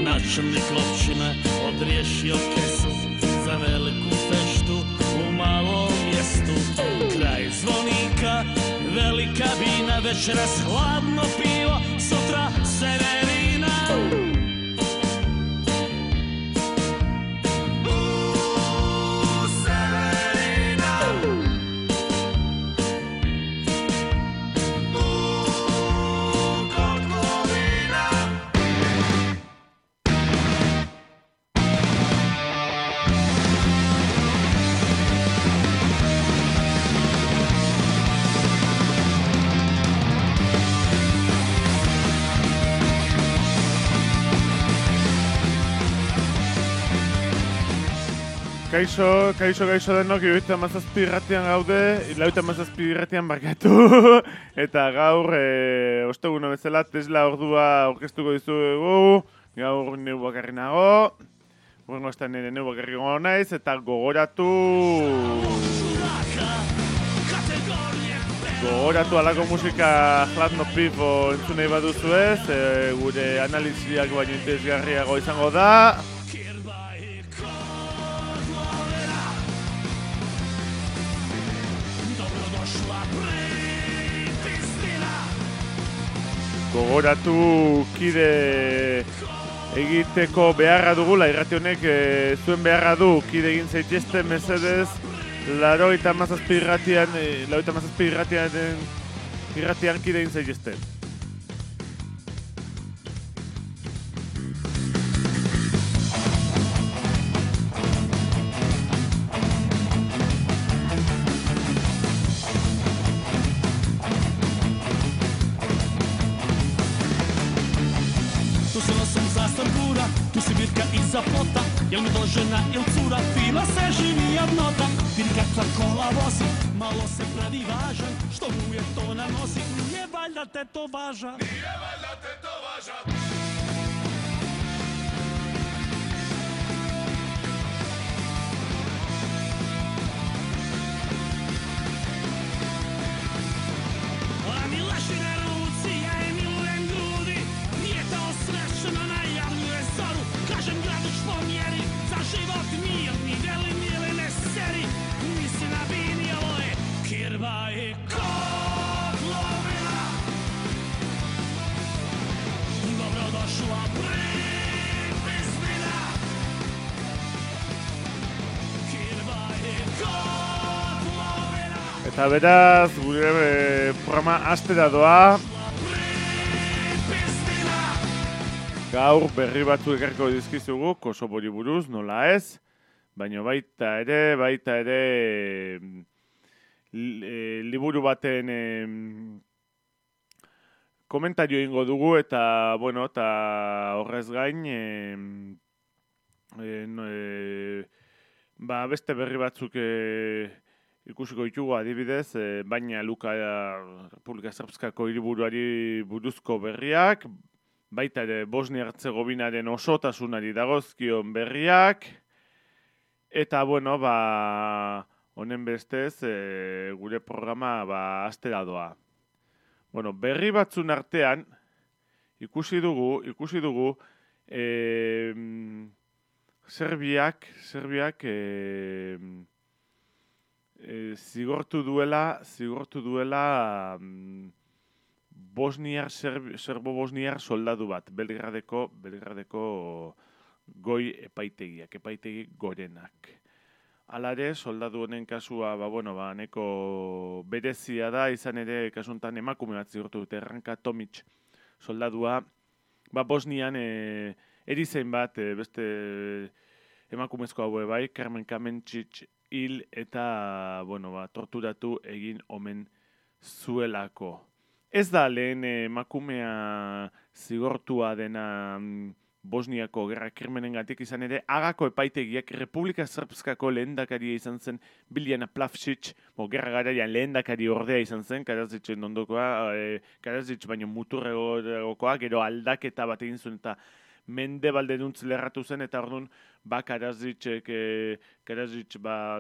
Načelnik općine odriješio kesu za veliku feštu u malom mjestu. Kraj zvonika, velika bina, večeras hladno pivo, sutra severina. Kaixo denok, 77 irratian gaude, 77 irratian barkatu, eta gaur, ostegun bezala, Tesla ordua aurkeztuko dizugu, gaur neu bakarri nago, urrengo estan nire neu bakarri gongo naiz, eta gogoratu alako musika Hladno Pivo entzun nahi baduzu ez, gure analiziak baino interesgarriago izango da. Gogoratu kide egiteko beharra dugula, irrati honek zuen beharra du, kide egin zaitezte mesedez, 87 irratian kide egin zaitezte. Tu si virka iza plota, jel mi to žena il cura, fina se živi jednota. Vidi kakva kola vozi, malo se pravi važan, što mu je to nanosi, nije valjda te to važa. A mi leši na ruci, ja je milujem grudi, nije to srešeno najavljuje zoru. Kažem gradiš po mjeri, za život mirni, veli mili ne seri, nisi na bini, ovo je kirva i kotlovina. Dobrodošla pripisnina, kirva i kotlovina. Eta beraz, gure programa hastera doa. Gaur berri batzu ekarriko dizkizugu, Kosovori buruz, nola ez, baina baita ere liburu baten komentario egingo dugu, eta horrez gain beste berri batzuk ikusiko ditugu adibidez, baina Luka Republika Srpskako hiriburuari buruzko berriak, baita ere Bosnia-Herzegovinaren osotasunari dagozkion berriak, eta honen bestez gure programa hastera doa. Berri batzun artean ikusi dugu Serbiak zigortu duela serbo-bosniar soldadu bat, Belgradeko goi epaitegi gorenak. Hala ere, soldadu honen kasua, neko berezia da, izan ere kasuntan emakume bat zigortu dute, Ranka Tomic soldadua, Bosnian erizain bat, beste emakumezko haue bai, Carmen Kamenčić hil eta torturatu egin omen zuelako. Ez da lehen emakumea zigortua dena Bosniako gerra krimenengatik izan ere, Hagako epaitegiak Republika Srpskako lehendakaria izan zen Biljana Plavšić, gerra garaian lehendakari ordea izan zen, Karadzićen ondokoa, Karadzić baino muturregokoa, gero aldaketa bat egin zuen eta mendebalderuntz lerratu zen, eta orduan, Karadzić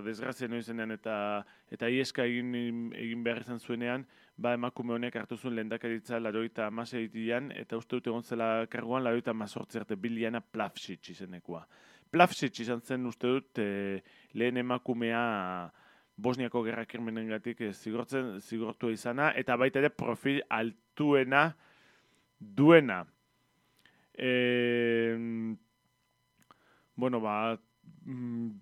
desgrazia noiz zenean eta ieska egin behar izan zuenean, emakume honek hartu zuen lehendakaritza 96an, eta uste dut egon zela karguan 98 arte Biljana Plavšić izenekoa. Plavšić izan zen uste dut lehen emakumea Bosniako gerra krimenengatik zigortua izana, eta baita ere profil altuena duena.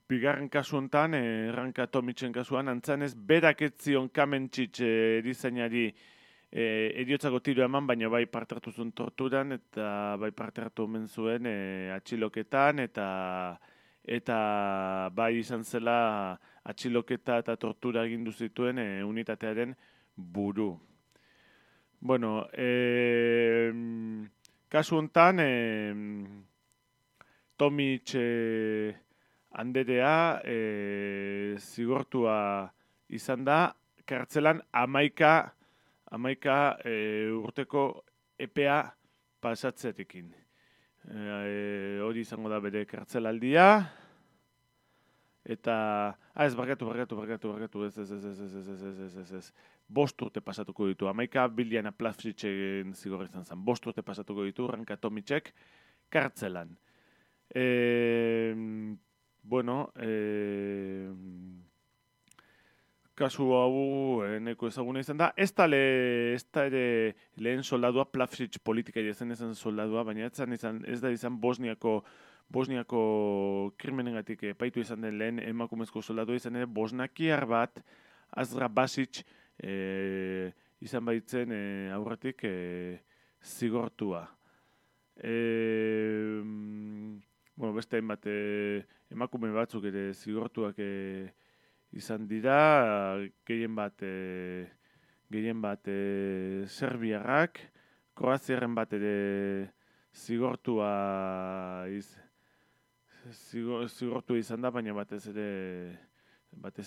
Bigarren kasu honetan, Ranka Tomicen kasuan, antzanez, berak ez zion Kamenčić erizainari eriotzako tiro eman, baina bai parte hartu zuen torturan, eta bai parte hartu omen zuen atxiloketan, eta bai izan zela atxiloketa eta tortura egindu zituen unitatearen buru. Kasu honetan, Tomic anderea zigortua izan da, kartzelan 11 urteko epea pasatzearekin. Hori izango da bere kartzelaldia, eta... ez, barkatu, ez. 5 urte pasatuko ditu. 11 Biljana Plavšićen zigor izan zen. 5 urte pasatuko ditu, Ranka Tomicek kartzelan. Kasu hau neko ezaguna izan da. Ez da ere lehen soldadua, Plavšić politikari ezen soldadua, baina ez da izan Bosniako krimenengatik epaitu izan den lehen emakumezko soldadua izan ere bosnakiar bat, Azra Basić izan baitzen aurretik zigortua. Beste hainbat emakume batzuk ere zigortuak izan dira, gehien bat serbiarrak, kroaziarren bat ere zigortua izan da, baina batez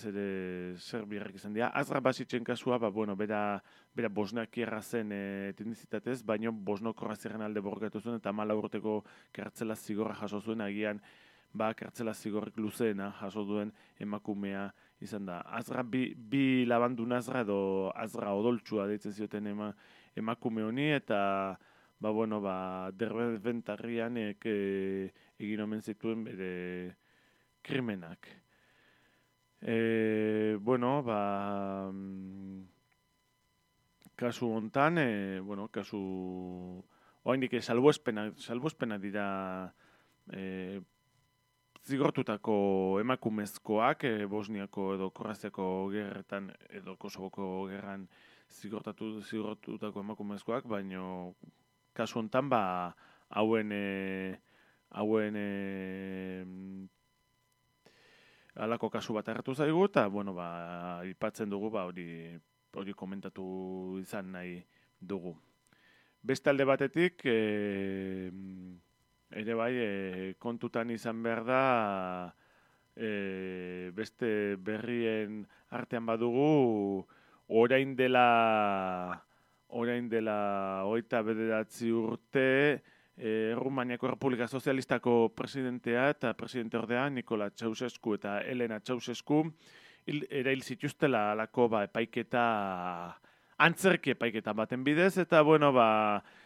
ere serbiarrak izan dira. Azra Basićen kasua, bera bosnakiarra zen etnizitatez, baina bosno-kroaziarren alde borrokatu zuen, eta 14 urteko kartzela zigorra jaso zuen, agian kartzela zigorrik luzeena jaso duen emakumea izan da. Azra, bi labandun Azra edo Azra odoltsua deitzen zioten emakume honi, eta derbentarrian egin omen zituen bere krimenak. Kasu hontan, oraindik salbuespena dira zigortutako emakumezkoak, Bosniako edo Kroaziako gerretan edo Kosovoko gerran zigortutako emakumezkoak, baina kasu hontan hauen halako kasu bat hartu zaigu, eta aipatzen dugu hori komentatu izan nahi dugu. Beste alde batetik, ere bai, kontutan izan behar da, beste berrien artean badugu, orain dela 29 urte, Rumaniako Republika Sozialistako presidentea eta presidente ordea Nikola Ceausescu eta Elena Ceausescu erail zituztela alako epaiketa, antzerki epaiketa baten bidez, eta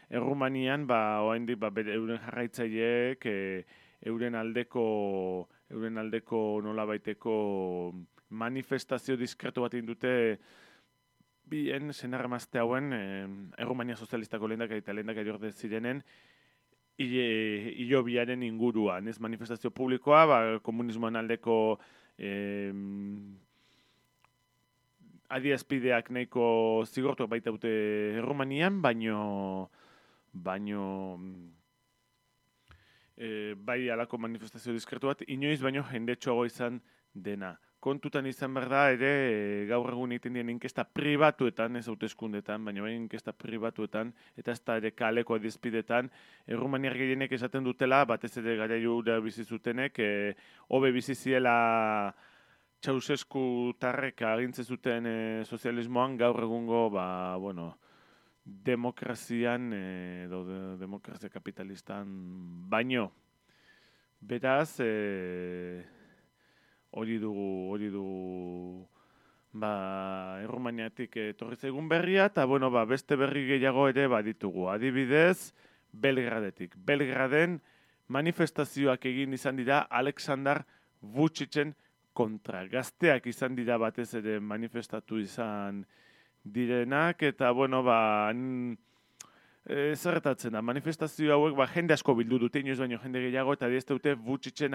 Errumanian oraindik euren jarraitzaileek euren aldeko nolabaiteko manifestazio diskretu bat indute bien senarramazte hauen Errumania Sozialistako lehendakari eta lehendakari orde zirenen hilobiaren inguruan, ez manifestazio publikoa, komunismoan aldeko adierazpideak nahiko zigortuak baita dute Errumanian, baino bai alako manifestazio diskretu bat, inoiz baino jendetsuago izan dena. kontutan izan behar da ere gaur egun egiten dien inkesta pribatuetan, ez hauteskundetan, baina bai inkesta pribatuetan, eta ez da ere kaleko adizpidetan, Errumaniar gehienek esaten dutela, batez ere garaiura bizi zutenek, hobe bizi ziela Ceausescu tarrek agintze zuten sozialismoan, gaur egungo, demokrazian, edo demokrazia kapitalistan baino. Beraz, hori dugu Errumaniatik etorri zaigun berria, eta beste berri gehiago ere baditugu. Adibidez, Belgradetik. Belgraden manifestazioak egin izan dira Aleksandar Vučićen kontra. Gazteak izan dira batez ere manifestatu izan direnak, eta zerretatzen da, manifestazio hauek jende asko bildu dute, inoiz baino jende gehiago, eta ez dute Vučićen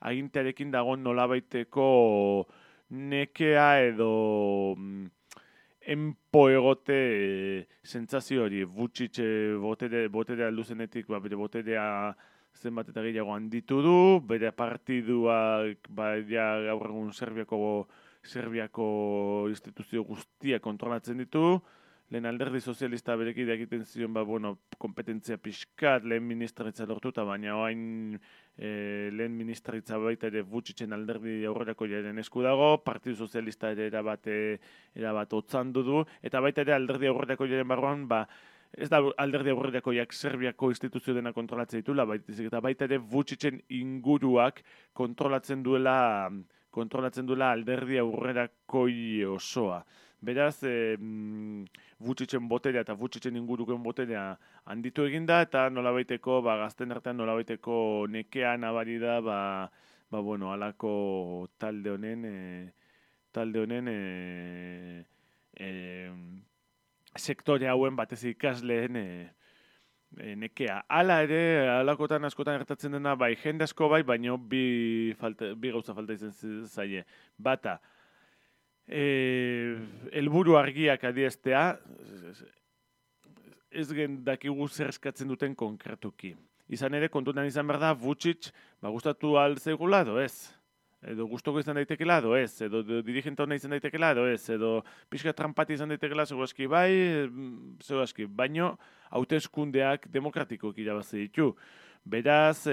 agintearekin dagoen nolabaiteko nekea edo enpo egote sentsazio hori. Vučić boterea aldu zenetik, bere boterea zenbat eta gehiago handitu du, bere partiduak gaur egun Serbiako instituzio guztia kontrolatzen ditu, lehen alderdi sozialista berekide egiten zion, kompetentzia pixkat, lehen ministraritza lortuta, baina oain lehen ministraritza baita ere Vučićen alderdi aurrerako jaren esku dago, partidu sozialista ere erabat otzandu du, eta baita ere alderdi aurrerako jaren barruan, ez da alderdi aurrerakoiak Serbiako instituzio dena kontrolatzen ditula, eta baita ere Vučićen inguruak kontrolatzen duela alderdi aurrerakoi osoa. Beraz, Vučićen boterea eta Vučićen ingurukoen boterea handitu eginda, eta nolabaiteko, gazten artean nolabaiteko nekea nabari da, halako talde honen sektore hauen batez ikasleen nekea. Hala ere, halakotan askotan gertatzen dena, jende asko baina bi gauza falta izan zaie. Bata, helburu argiak adieraztea, ez dakigu zer eskatzen duten konkretuki. Izan ere, kontutan izan behar da, Vučić, gustatu ahal zaigula edo ez. Edo gustoko izan daitekela edo ez, edo dirigente hona izan daitekela edo ez, edo pixka trampati izan daitekela segurazki baino hauteskundeak demokratikoak irabazi ditu. Beraz,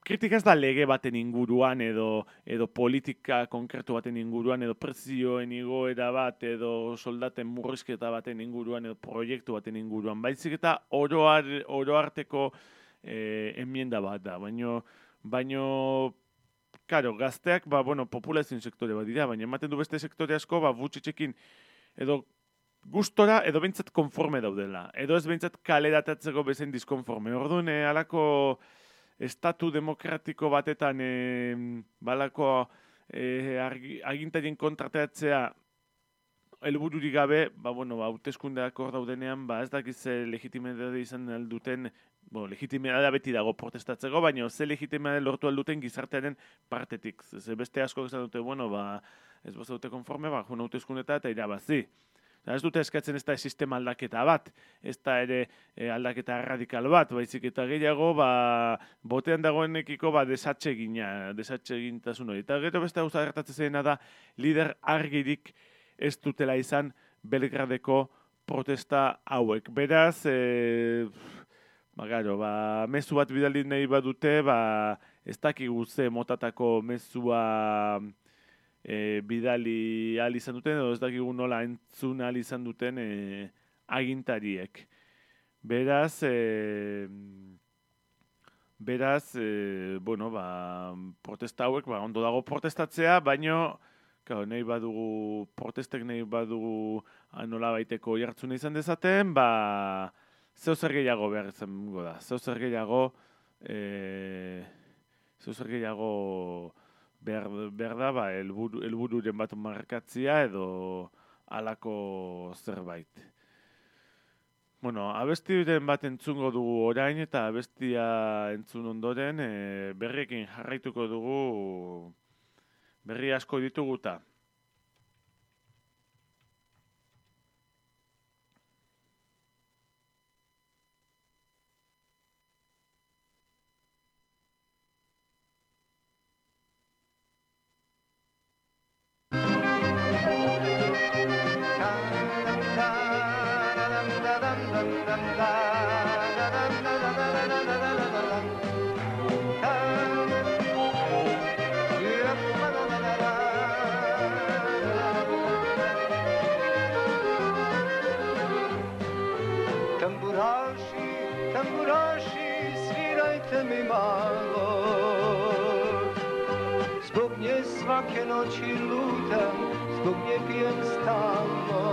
kritika ez da lege baten inguruan, edo politika konkretu baten inguruan, edo prezioen igoera bat, edo soldaten murrizketa baten inguruan, edo proiektu baten inguruan. Baizik eta oro arteko enmienda bat da, baino, karo, gazteak, populazioen sektore bat dira, baina ematen du beste sektore asko, Vučićekin edo gustora, edo behintzat konforme daudela, edo ez behintzat kaleratatzeko bezain diskonforme. Orduan, halako estatu demokratiko batetan, balako agintarien kontrateatzea helbururik gabe, hauteskundeak hor daudenean, ez dakiz legitimidade izan alduten, legitimidadea beti dago protestatzeko, baina ze legitimidade lortu alduten gizartearen partetik. Beste asko izan dute, ez bazaute konforme, joan hauteskundeta eta irabazi. Ez dute eskatzen ez da sistema aldaketa bat, ez da ere aldaketa radikal bat, baizik eta gehiago, botean dagoenekiko desatsegintasun hori. Eta gero beste gauza gertatzen zena da, lider argirik ez dutela izan Belgradeko protesta hauek. Beraz, mezu bat bidali nahi badute, ez dakigu ze motatako mezua bidali ahal izan duten, edo ez dakigu nola entzun ahal izan duten agintariek. Beraz, protesta hauek, ondo dago protestatzea, baino, nahi badugu, protestek nahi badugu nola baiteko jartzuna izan dezaten, zeu zer gehiago behar izango da. Zeu zer gehiago behar da, helbururen bat markatzia edo halako zerbait. Abestiren bat entzungo dugu orain eta abestia entzun ondoren berriekin jarraituko dugu, berri asko dituguta. noći lutam, zbog nje pijem stalno.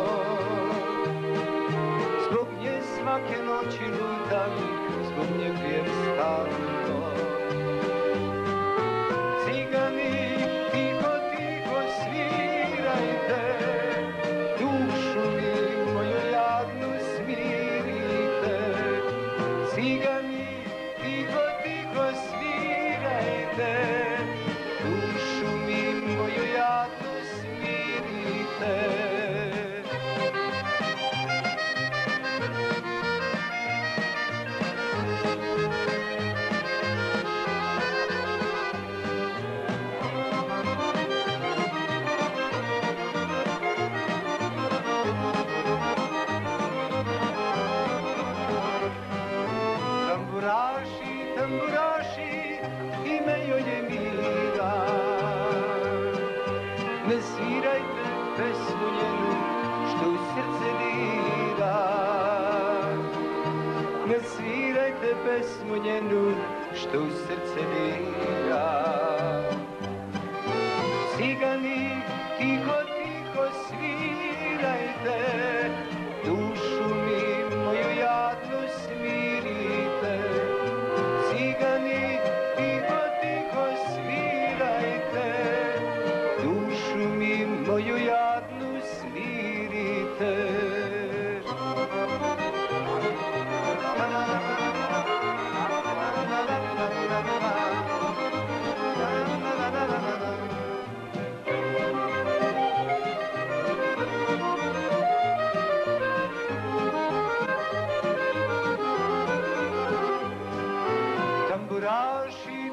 Zbog nje svake noći lutam, zbog nje pijem stalno. Cigani, tiho, tiho svirajte, dušu mi moju jadnu smirite. Cigani, tiho, tiho svirajte, dušu mi moju jadnu smirite. Tamburaši, ime joj je Mila. Ne svirajte pesmu njenu, što u srce dira. Ne svirajte pesmu njenu, što u srce dira. Cigani, tiho, tiho svirajte, dušu mi moju jadnu smirite. Cigani, tiho, tiho svirajte, dušu mi moju jadnu smirite.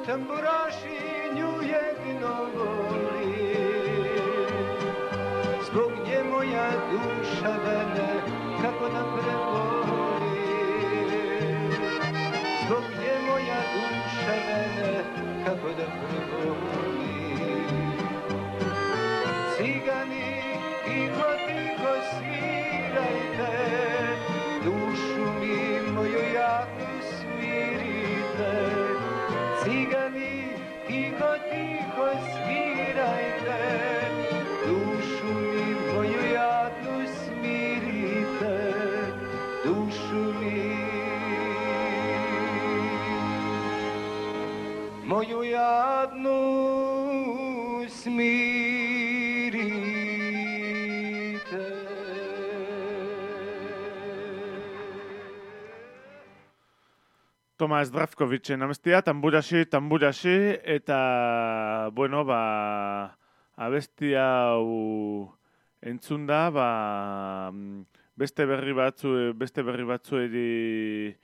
Tamburaši, nju jedino voli, zbog nje moja duša vene kako da preboli. Zbog nje moja duša vene kako da preboli. Cigani, tiho, tiho svirajte, dušu mi moju jadnu smirite. Cigani, tiho, tiho svirajte, dušu mi moju jadnu smirite, dušu mi moju jadnu smirite. Tomas Zdravkovitzen abestia, tamburashi, eta, bueno, abestia hau entzun da, beste berri batzueri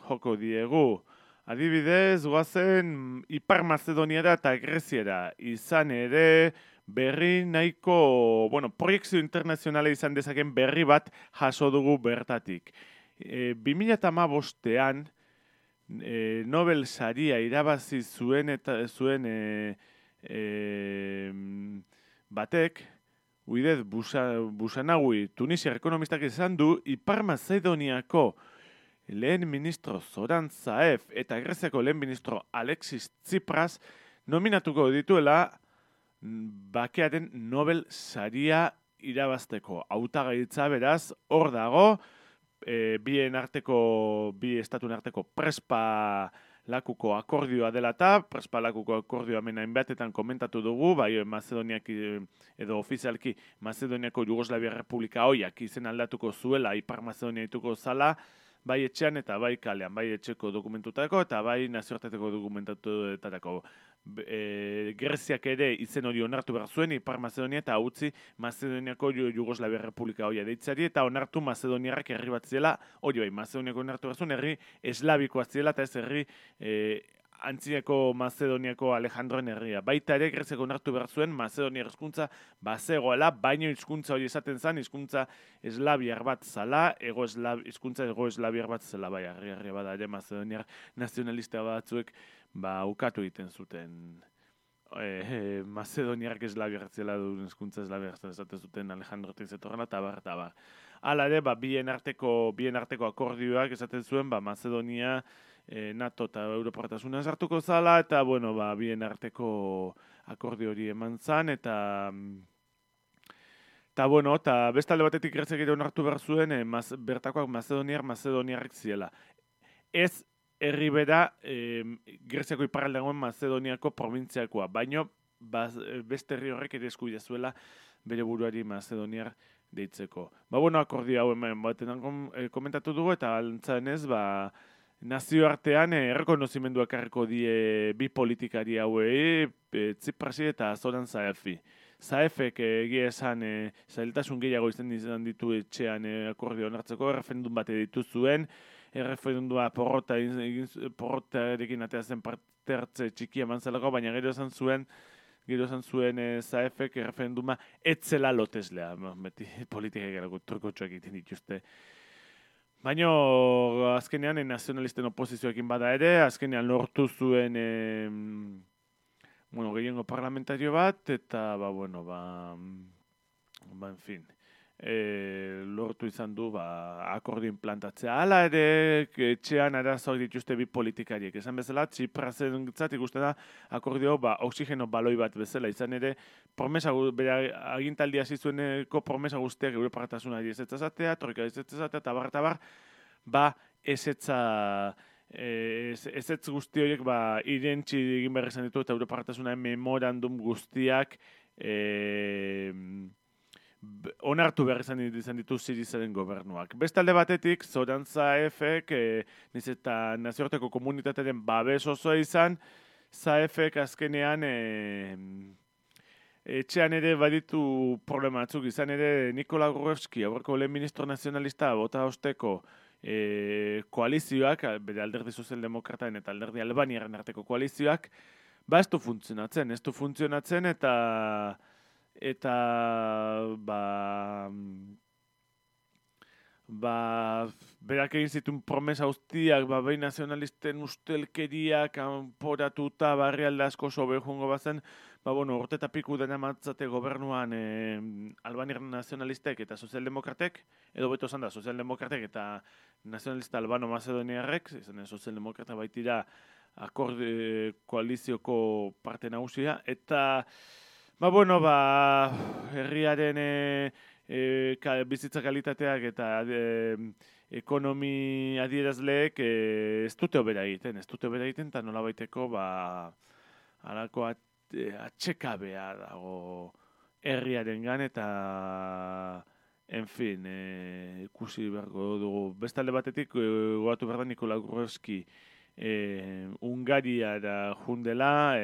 joko diegu. Adibidez, goazen Ipar Mazedoniara eta Greziara, izan ere berri nahiko, proiekzio internazionala izan dezaken berri bat jaso dugu bertatik. 2015an Nobel saria irabazi zuen batek, Uidez Busanagui, tunisiar ekonomistak esan du, Ipar Mazedoniako lehen ministro Zoran Zaev eta Greziako lehen ministro Alexis Tsipras nominatuko dituela bakearen Nobel saria irabazteko. Hautagaitza beraz, hor dago, bi estatuen arteko Prespa lakuko akordioa dela eta Prespa lakuko akordioa hemen hainbatetan komentatu dugu, bai Mazedoniak edo ofizialki Mazedoniako Jugoslavia Republika hoiak izen aldatuko zuela, Ipar Mazedonia dituko zala, bai etxean eta bai kalean, bai etxeko dokumentutako eta bai nazioarteteko dokumentatuetako. Greziak ere izen hori onartu behar zuen Ipar Mazedonia eta utzi Mazedoniako Jugoslavia Republika hoia deitzari eta onartu Mazedoniarrak herri bat ziela, hori bai, Mazedoniako onartu behar zuen herri eslavikoa ziela eta ez herri antzineko Mazedoniako Alejandroen herria. Baita ere Greziako onartu behar zuen Mazedoniar hizkuntza bazegoela, baino hizkuntza hori esaten zen, hizkuntza eslaviar bat zala, hizkuntza ego eslaviar bat zela, bai, herria bada ere Mazedoniar nazionalista batzuek ukatu egiten zuten Mazedoniarrak eslaviar zela duen hizkuntza eslaviar esaten zuten Alejandrotik zetorrela, eta bar. Hala ere, bien arteko akordioak esaten zuen, Mazedonia NATO eta Europartasuna sartuko zala, eta, bueno, bien arteko akordio hori eman zan, eta bueno, eta bestalde batetik Greziak ere onartu behar zuen, bertakoak Macedoniarrek ziela. Ez herri bera Greziako iparraldean Macedoniako provintziakoa, baino beste herri horrek ere eskubidea zuela bere buruari Macedoniar deitzeko. Bueno, akordio hau hemen batean komentatu dugu, eta antza denez, nazioartean errekonozimenduak harriko die bi politikari hauei, Tsiprasi eta Zoran Zaefi. Zaefek egia esan zailtasun gehiago izan ditu etxean akordio onartzeko, erreferendum bat editu zuen, erreferendua porrotarekin atea zen parte hartze txikia eman zelako, baina gero esan zuen Zaefek erreferenduma etzela loteslea, beti politika egarako trukotxoak egiten dituzte. Baina azkenean nazionalisten oposizioekin bada ere, azkenean lortu zuen gehiengo parlamentario bat, eta en fin, lortu izan du akordio implantatzea. Hala ere, etxean arazoak dituzte bi politikariek. Esan bezala, Tsiprasentzat ikusten da akordio oxigeno baloi bat bezala. Izan ere, bere agintaldi hasi zueneko promesa guztiak Europartasunari ezetzazatea, troika ezetzazatea, eta ezetz guzti horiek irentzi egin behar izan ditu, eta Europartasunaren memorandum guztiak onartu behar izan ditu Sirizaren gobernuak. Bestalde batetik, Zoran Zaefek, niz eta nazioarteko komunitatearen babes osoa izan, Zaefek azkenean etxean ere baditu problematzuk, izan ere Nikola Gruevski, aurreko lehen ministro nazionalista, bota osteko koalizioak, bere alderdi sozialdemokrataen eta alderdi albaniaren arteko koalizioak, ez du funtzionatzen, eta berak egin zituen promesa guztiak, behin nazionalisten ustelkeria kanporatuta barrialde asko sobe joango bazen, urte eta piku dena matzate gobernuan albaniar nazionalistek eta sozialdemokratek, edo beto zan da, sozialdemokratek eta nazionalista albano-macedoniarrek, izan sozialdemokrata baitira koalizioko parte nagusia, eta herriaren bizitza kalitateak eta ekonomi adierazleek ez dute hobera egiten, eta nola baiteko halako atxekabea dago herriaren gan, eta en fin, ikusi beharko dugu. Bestalde batetik, gogatu behar da Nikola Gruevski Hungariara jundela,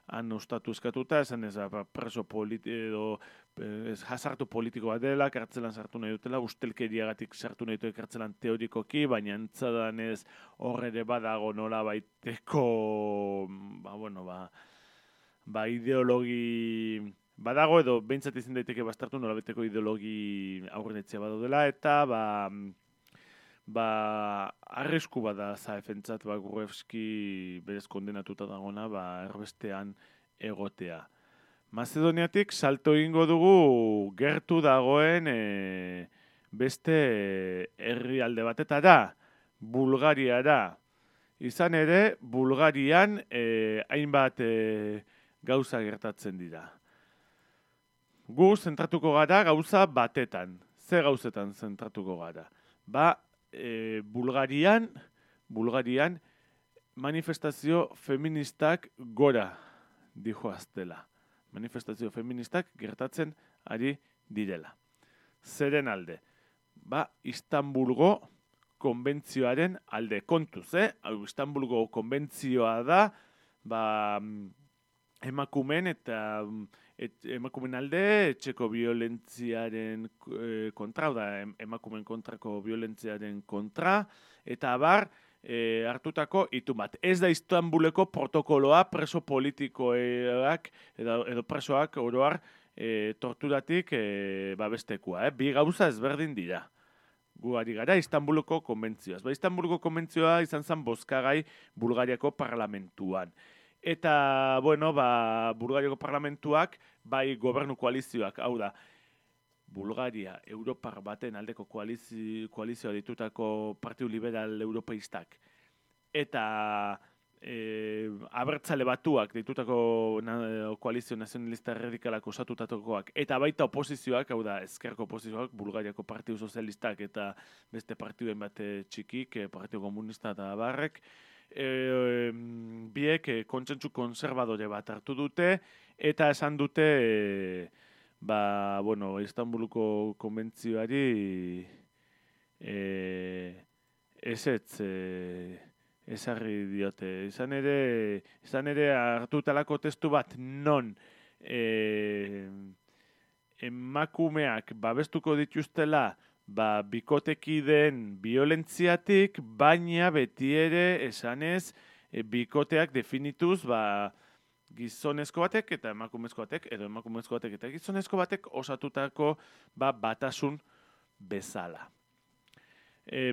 han ostatu eskatuta, esan ez preso edo jasartu politikoa dela, kartzelan sartu nahi dutela, ustelkeriagatik sartu nahi dutela kartzelan teorikoki, baina entzadan ez horre ere badago nola baiteko, ideologi badago, edo behintzat izin daiteke bastartu nola baiteko ideologi aurrenetzia badaudela, eta arrisku bada Zaefentzat Gruevski berez kondenatuta dagona erbestean egotea. Macedoniatik salto egingo dugu gertu dagoen beste herrialde batetara, Bulgariara. Izan ere, Bulgarian hainbat gauza gertatzen dira. Gu zentratuko gara gauza batetan. Ze gauzetan zentratuko gara? Bulgarian manifestazio feministak gora dijoaztela. Manifestazio feministak gertatzen ari direla. Zeren alde? Istanbulgo konbentzioaren alde. Kontuz, Istanbulgo konbentzioa da emakumen eta emakumen alde etxeko violentziaren kontra, emakumen kontrako violentziaren kontra, eta hartutako itun bat. Ez da Istanbuleko protokoloa preso politikoak edo presoak oroar torturatik babestekoa. Bi gauza ezberdin dira. Gu ari gara Istanbuleko konbentzioaz. Istanbuleko konbentzioa izan zen bozkagai Bulgariako parlamentuan. Eta, Bulgariako parlamentuak, gobernu koalizioak, hau da, Bulgaria, Europar baten aldeko koalizioa ditutako Partidu Liberal Europeistak, eta abertzale batuak ditutako koalizio nazionalista erradikalak osatutakoak, eta baita oposizioak, hau da, ezkerko oposizioak, Bulgariako Partidu Sozialistak eta beste partiduen bat txikik, Partidu Komunista eta barrek, biek kontsentsu konservadore bat hartu dute, eta esan dute, Istanbuluko konbentzioari ezarri diote. Izan ere hartutalako testu bat non emakumeak babestuko dituztela bikotekideen violentziatik, baina beti ere esanez bikoteak definituz gizonezko batek eta emakumezko batek, edo emakumezko batek eta gizonezko batek osatutako batasun bezala.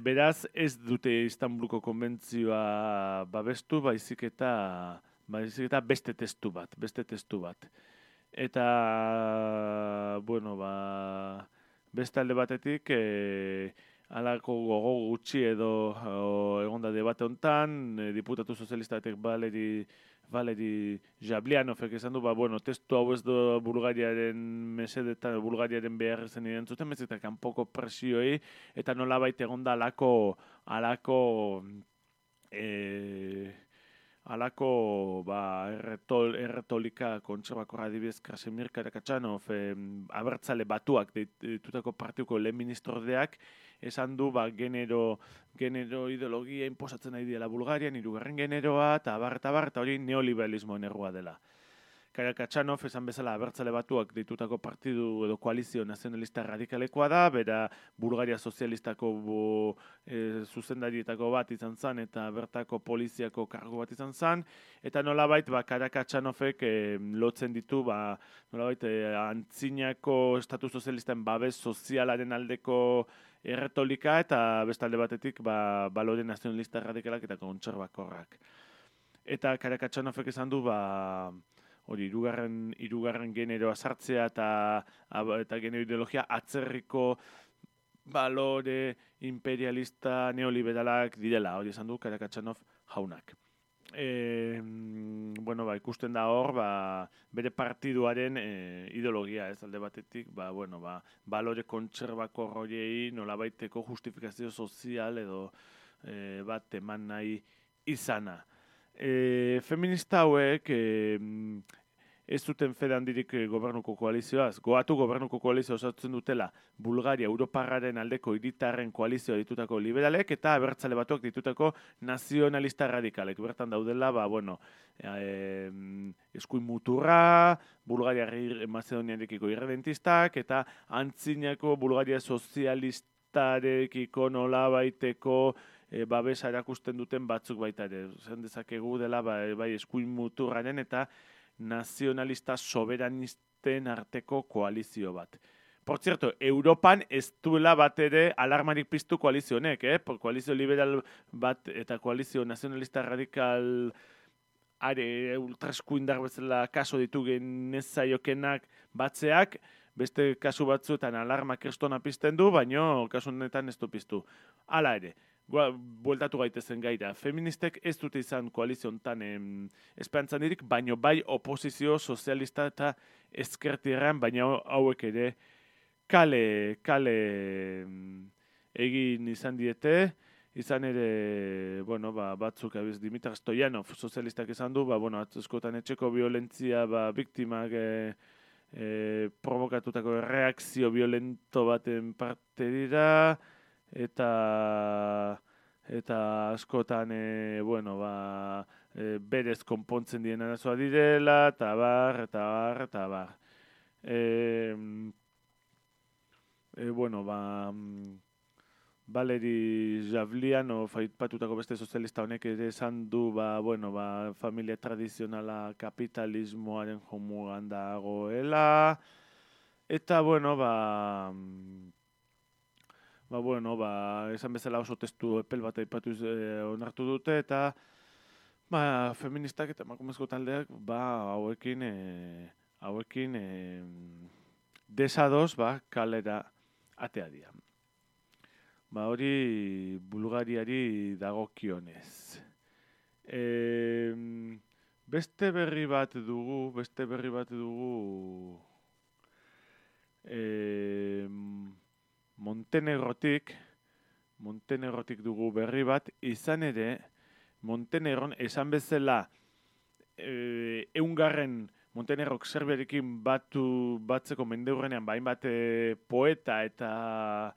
Beraz, ez dute Istanbuluko konbentzioa babestu, baizik eta beste testu bat. Eta, beste alde batetik, halako gogo gutxi edo egonda debate hontan, diputatu sozialistatek Valeri Jablianovek esan du, testu hau ez do Bulgariaren mesedetan, Bulgariaren behar zen irentzuten, eta kanpoko presioei, eta nolabait egonda erretolika kontserbakorra adibidez Krasimir Karakatxanov, abertzale batuak ditutako partiuko lehen ministrodeak, esan du genero ideologia inposatzen nahi diela Bulgarian, hirugarren generoa, eta eta hori neoliberalismoen errua dela. Karakatxanov esan bezala abertzale batuak ditutako partidu edo koalizio nazionalista radikalekoa da, bera Bulgaria sozialistako zuzendarietako bat izan zen, eta bertako poliziako kargu bat izan zen, eta nolabait Karakatxanovek lotzen ditu, nolabait antzinako estatu sozialisten babes sozialaren aldeko erretolika, eta bestalde batetik balore nazionalista radikalak eta kontserbakorrak. Eta Karakatxanovek esan du hori hirugarren generoa sartzea eta genero ideologia atzerriko balore imperialista neoliberalak direla, hori esan du Karakatxanov jaunak. Ikusten da hor, bere partiduaren ideologia, ez alde batetik, balore kontserbakor horiei nolabaiteko justifikazio sozial edo bat eman nahi izana. Feminista hauek ez zuten fede handirik gobernuko koalizioaz. Goatu gobernuko koalizioa osatzen dutela Bulgaria, Europarraren aldeko hiritarren koalizioa ditutako liberalek eta abertzale batuak ditutako nazionalista radikalek. Bertan daudela, eskuin muturra, Bulgaria Macedoniarekiko irredentistak eta antzinako Bulgaria sozialistarekiko nolabaiteko babesa erakusten duten batzuk baita ere. Zen dezakegu dela bai eskuin muturraren eta nazionalista soberanisten arteko koalizio bat. Por cierto, Europan ez duela bat ere alarmarik piztu koalizio honek, koalizio liberal bat eta koalizio nazionalista radikal ultraeskuindar bezala kaso ditu genezaiokenak batzeak, beste kasu batzuetan alarma kristona pizten du, baino kasu honetan ez du piztu. Hala ere, bueltatu gaitezen gaira. Feministek ez dute izan koalizio honetan esperantzan dirik, baino bai oposizio sozialista eta ezkertierran, baina hauek ere kale egin izan diete, izan ere, batzuk abiz Dimitar Stoyanov sozialistak izan du, atzuzkotan etxeko violentzia biktimak provokatutako reakzio violento baten parte dira, eta askotan, berez konpontzen dien arazoa direla, eta bar. Valeri Jablianov aipatutako beste sozialista honek ere esan du, familia tradizionala kapitalismoaren jomugan dagoela, eta, esan bezala oso testu epel bat aipatu onartu dute, eta feministak eta emakumezko taldeak hauekin desados kalera atea dira. Hori Bulgariari dagokionez. Beste berri bat dugu, Montenegrotik dugu berri bat, izan ere, Montenegron esan bezala eungarren Montenegrok Serbiarekin batzeko mendeurrenean hainbat poeta eta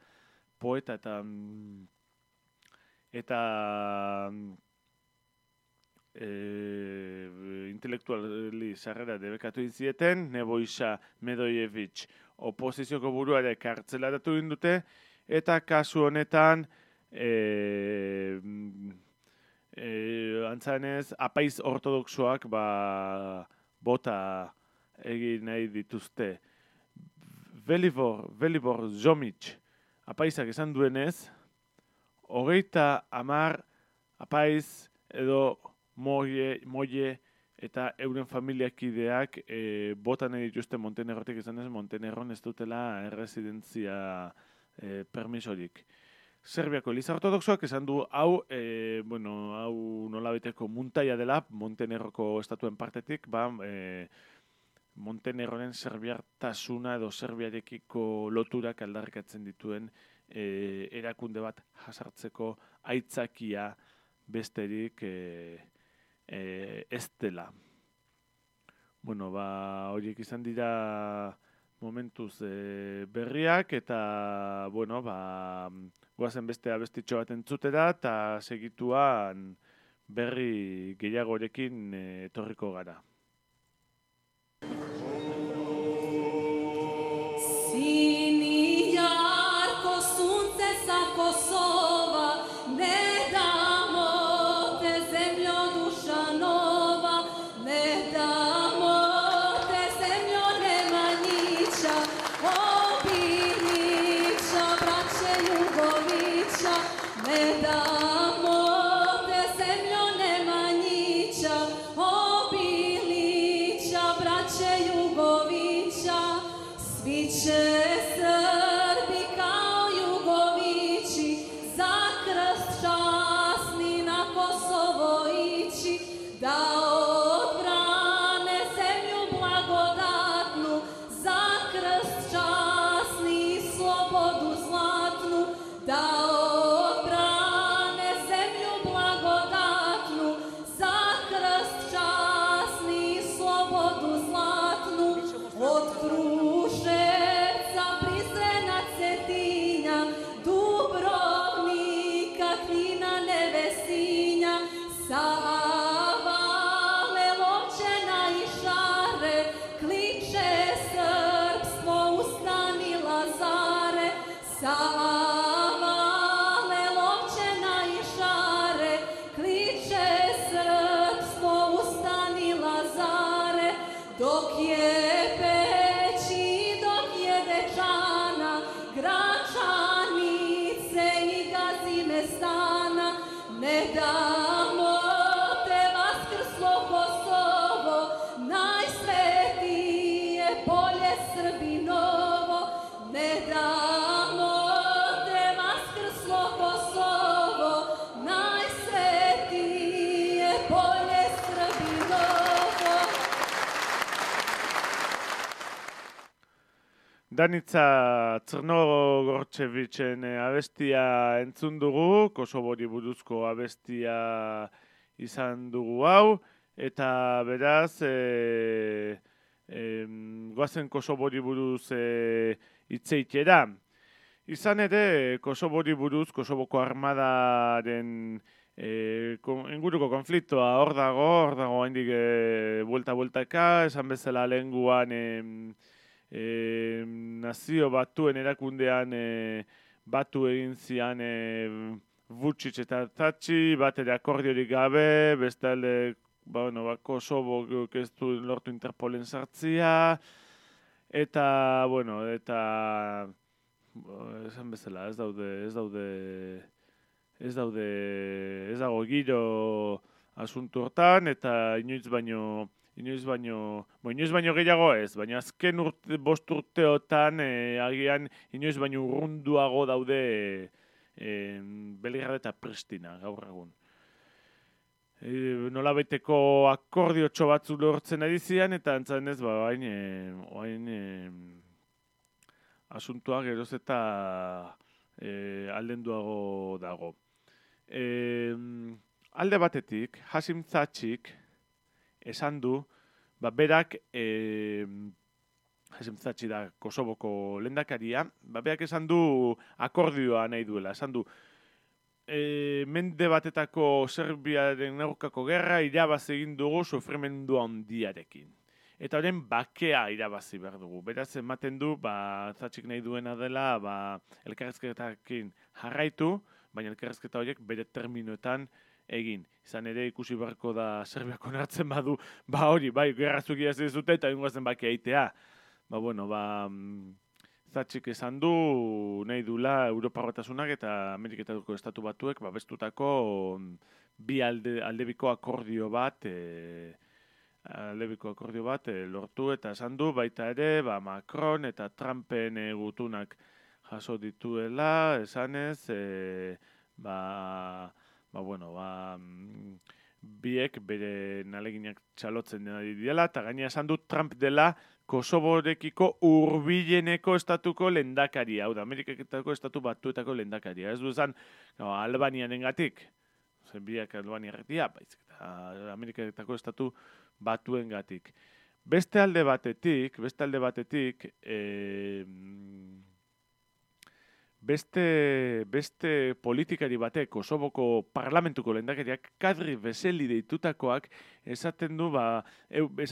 intelektuali sarrera debekatu inzieten, Nebojša Medojević oposizioko buruare kartzelaratu dute, eta kasu honetan antzanez apaiz ortodoxoak bota egin nahi dituzte. Velibor Zomić apaizak esan duenez, 30 apaiz edo moie eta euren familiakideak bota nahi dituzte Montenegrotik, izan ez Montenegron ez dutela erresidentzia permisorik. Serbiako Eliza Ortodoxoak esan du hau nolabiteko muntaia dela Montenegroko estatuen partetik, Montenegroren serbiartasuna edo serbiarekiko loturak aldarrikatzen dituen erakunde bat jasartzeko aitzakia besterik ez dela. Horiek izan dira momentuz berriak, eta goazen beste abestitxo bat entzutera, eta segituan berri gehiagorekin etorriko gara. Sini jarko sunce sa Kosova, ne damo te zemljo duša nova, ne damo te zemljo Nemanjića, Obilića, braće Jugovića, ne damo te zemljo Nemanjića, Obilića, braće Jugovića, svi će Srbi kao Jugovići za krst časni na Kosovo ići, da odbrane zemlju blagodatnu, za krst časni i slobodu zlatnu, da odbrane zemlju blagodatnu, za krst časni i slobodu zlatnu, od Kruševca, Prizrena, Cetinja, Dubrovnika, Knina, Nevesinja, Savale, Lovćena i Šare, kliče srpstvo, ustani Lazare, Savale, Lovćena i Šare, kliče srpstvo, ustani Lazare, dok je Peći, dok je Dečana, Gračanice i Gazimestana, ne damo te vaskrslo Kosovo, najsvetije polje Srbinovo, ne damo te vaskrslo Kosovo, najsvetije polje Srbinovo. Danica Crnogorčevićen abestia entzun dugu, Kosobori buruzko abestia izan dugu hau, eta beraz, goazen Kosobori buruz hitzeitera. Izan ere, Kosobori buruz, Kosoboko armadaren inguruko konfliktoa hor dago haindik buelta-bueltaka, esan bezala lehenguan nazio batuen erakundean batu egin zian Vučić eta Thaçi, bat ere akordiorik gabe, bestalde Kosovo ez du lortu Interpolen sartzia, eta esan bezala ez dago giro asuntu hortan, eta inoiz baino gehiago ez, baina azken bost urteotan agian inoiz baino urrunduago daude Belgrad eta Pristina gaur egun. nolabaiteko akordiotxo batzu lortzen ari zian, eta antzanez, oain asuntua geroz eta aldenduago dago. Alde batetik, Hasim Thaçik esan du, berak, Hasim Thaçi da Kosovoko lehendakaria, berak esan du akordioa nahi duela, esan du, mende batetako Serbiaren aurkako gerra irabazi egin dugu sufrimendu handiarekin. Eta horren bakea irabazi behar dugu. Beraz, ematen du, Thaçik nahi duena dela, elkarrizketakin jarraitu, baina elkarrizketa horiek bere terminoetan egin. Izan ere ikusi beharko da Serbiak onartzen badu, hori, gerra zukia ez dute eta ingoazen bakea eitea. Thaçik esan du nahi dula Europa Batasunak eta Ameriketako Estatu Batuek babestutako aldebiko akordio bat lortu eta esan du baita ere Macron eta Trumpen gutunak jaso dituela, esanez biek bere naleginak txalotzen ari diela eta gaina esan du Trump dela Kosoborekiko hurbileneko estatuko lehendakaria, hau da, Ameriketako Estatu Batuetako lehendakaria. Ez du esan, Albanianengatik, biak Albaniarretia, baizik eta Ameriketako Estatu Batuengatik. Beste alde batetik, beste politikari batek, Kosovoko parlamentuko lehendakariak, Kadri Veseli deitutakoak, esan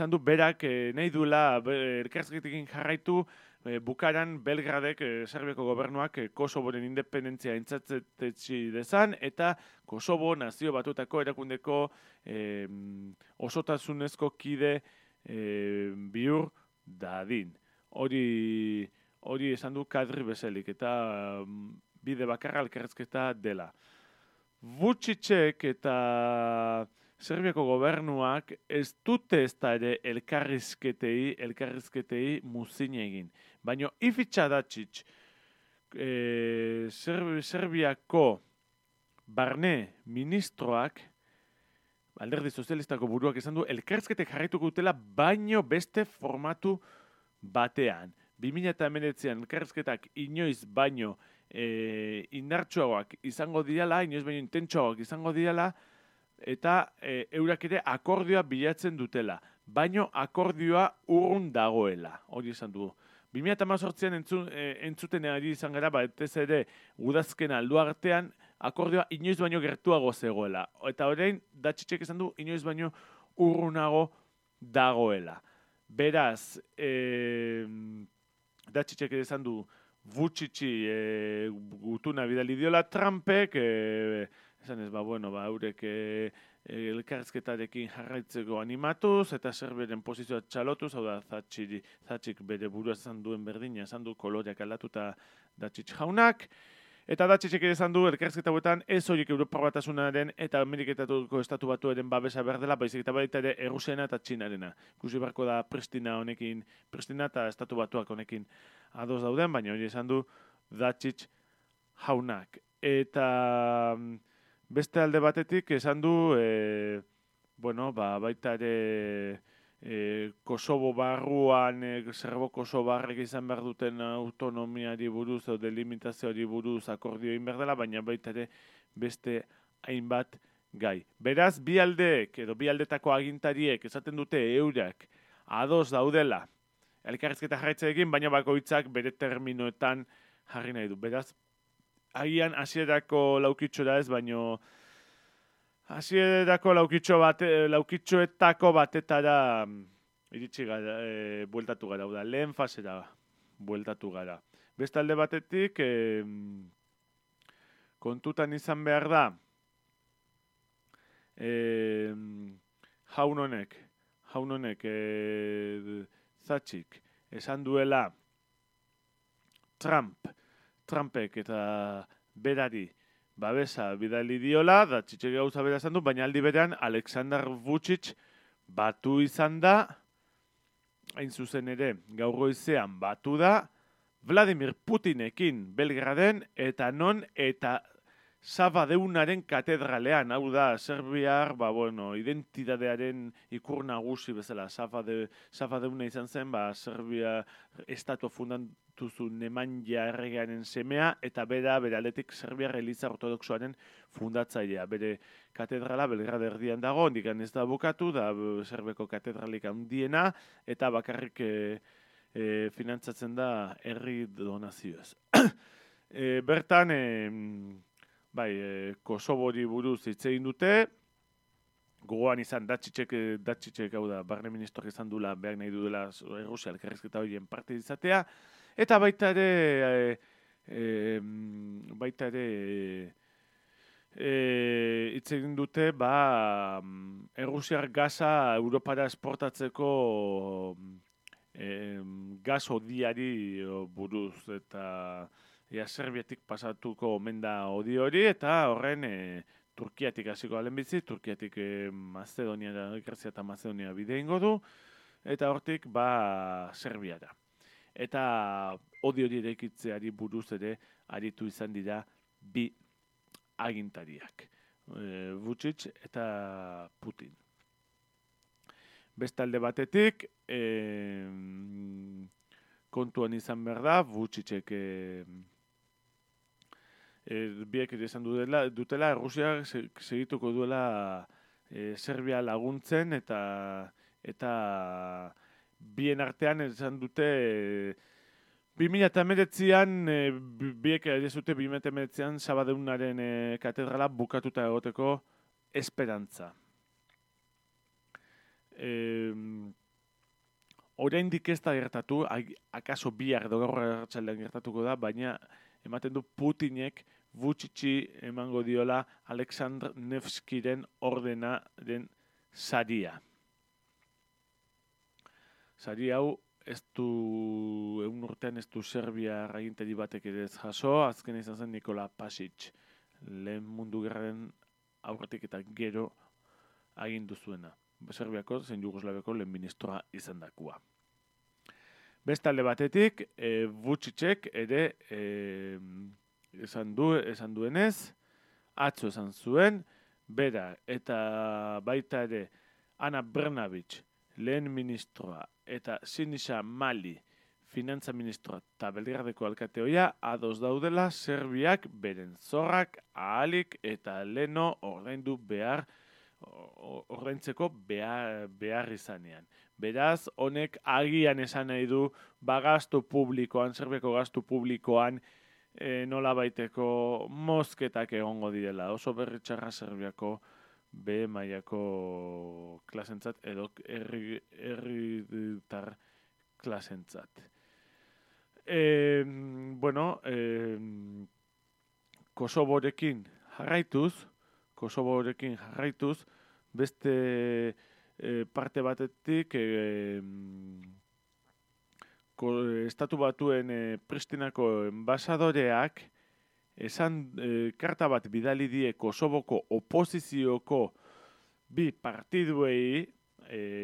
du berak nahi duela elkarrizketekin jarraitu bukaran Belgradek, Serbiako gobernuak, Kosoboren independentzia aintzatetsi dezan, eta Kosobo nazio batutako erakundeko osotasunezko kide bihur dadin. Hori esan du Kadri Veselik, eta bide bakarra elkarrizketa dela. Vučićek eta Serbiako gobernuak ez dute ez da ere elkarrizketei muzin egin. Baina Ivica Dačić, Serbiako barne ministroak, alderdi sozialistako buruak esan du, elkarrizketek jarraituko dutela baino beste formatu batean. 2019an elkarrizketak inoiz baino indartsuagoak izango direla, inoiz baino intentsuagoak izango direla, eta eurak ere akordioa bilatzen dutela. Baino akordioa urrun dagoela, hori esan du. 2018an entzuten ari izan gara, ez ere udazkena aldu artean, akordioa inoiz baino gertuago zegoela. Eta orain, Dačićek esan du, inoiz baino urrunago dagoela. Beraz, Dačićek esan du Vučići gutuna bidali diola Trumpek, esan ez, eurek elkarrizketarekin jarraitzeko animatuz, eta Serbiaren posizioa txalotuz, hau da, Thaçik bere burua esan duen berdina, esan du koloreak aldatuta Dačić jaunak, eta Dačićek esan du elkarrizketa hauetan ez horiek Europa Batasunaren eta Ameriketako Estatu Batuaren babesa behar dela, baizik eta baita ere Errusiana eta Txinarena. Ikusi beharko da Pristina eta Estatu Batuak honekin ados dauden, baina hori esan du Dačić jaunak. Eta beste alde batetik esan du, baita ere Kosovo barruan, Serbo-Kosovarrek izan behar duten autonomiari buruz, o delimitazioari buruz akordio egin behar dela, baina baita ere beste hainbat gai. Beraz, bi aldetako agintariek esaten dute eurak ados daudela elkarrizketa jarraitzeekin, baina bakoitzak bere terminoetan jarri nahi du. Beraz, agian hasierako laukitxora ez, baino hasierako laukitxoetako batetara iritsi gara, bueltatu gara, lehen fasera bueltatu gara. Beste alde batetik, kontutan izan behar da, jaun honek, Thaçik, esan duela Trumpek eta berari babesa bidali diola, Dačićek gauza bera esan du, baina aldi berean Aleksandar Vučić batu izan da, hain zuzen ere gaur goizean batu da, Vladimir Putinekin Belgraden, eta non eta Sabadeunaren katedralean, hau da, Serbiar, identitatearen ikur nagusi bezala, Sabadeuna izan zen, Serbia estatu fundatu zuen Nemanja erregearen semea, eta bere aldetik Serbiar Eliza Ortodoxoaren fundatzailea. Bere katedrala Belgrad erdian dago, ondikan ez da bukatu, da Serbeko katedralik handiena, eta bakarrik finantzatzen da herri donazioez. Bertan, Kosovori buruz hitz egin dute, gogoan izan Dačićek hau da, barne ministroak izan dula, behar nahi duela Rusia elkarrizketa horien parte izatea, eta baita ere hitz egin dute, Errusiar gaza Europara esportatzeko gaz odiari buruz, eta Serbiatik pasatuko omen da odi hori, eta horren Turkiatik hasiko alen bizi, Turkiatik Grazia eta Mazedonia bide ingo du, eta hortik Serbiara. Eta odi hori eraikitzeari buruz ere aritu izan dira bi agintariak, Vučić eta Putin. Bestalde batetik, kontuan izan behar da, Vučićek biek esan dutela, Rusia segituko duela Serbia laguntzen, eta bien artean esan dute 2019an, biek edizute 2019an Sabadeunaren katedrala bukatuta egoteko esperantza. Oraindik ez da gertatu, akaso bihar edo gaur arratsaldean gertatuko da, baina ematen du Putinek Vučići emango diola Aleksandr Nevskiren ordenaren saria. Sari hau egun urtean ez du Serbia agintari batek ere ez jaso, azken izan zen Nikola Pasic, lehen mundu gerraren aurretik eta gero agindu zuena. Serbiako zein Jugoslaviako lehen ministroa izan dakua. Bestalde batetik, Vučićek ere esan duenez, atzo esan zuen, bera eta baita ere Ana Brnabić, lehen ministroa, eta Sinisa Mali, finantza ministroa eta Belgradeko alkateoia, ados daudela Serbiak beren zorrak ahalik eta leno ordaintzeko behar izanean. Beraz, honek agian esan nahi du, gastu publikoan, Serbiako gastu publikoan, nola baiteko mozketak egongo direla. Oso berritxarra Serbiako B mailako klasentzat edo herritar klasentzat. Kosovorekin jarraituz, beste parte batetik Estatu Batuen Pristinako enbasadoreak karta bat bidali die Kosovoko oposizioko bi partiduei,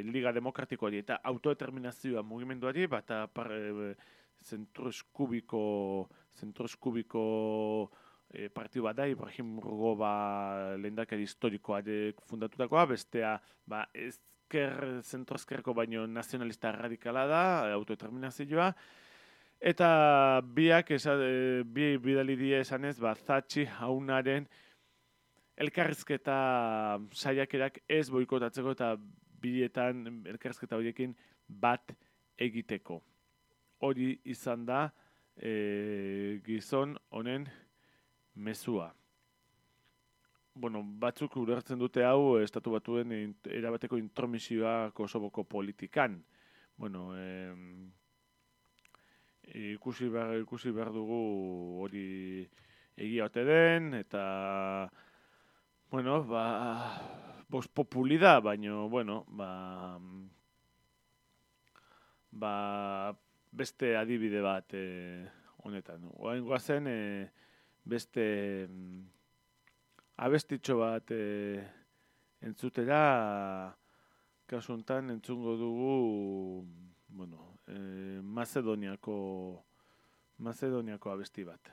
Liga Demokratikoari eta autodeterminazioa mugimenduari, bata zentro eskubiko partidu bat da, Ibrahim Rugova lehendakari historikoarek fundatutakoa, bestea zentro-ezkerreko baino nazionalista radikala da, autodeterminazioa, eta biak bi bidali die esanez, Thatchi jaunaren elkarrizketa saiakerak ez boikotatzeko eta bietan elkarrizketa horiekin bat egiteko. Hori izan da gizon honen mezua. Batzuk ulertzen dute hau Estatu Batuen erabateko intromisioa Kosovoko politikan. Ikusi behar dugu hori egia ote den, eta populi da, baina beste adibide bat honetan. Oraingoa zen beste abestitxo bat entzutera, kasu honetan entzungo dugu Macedoniako abesti bat.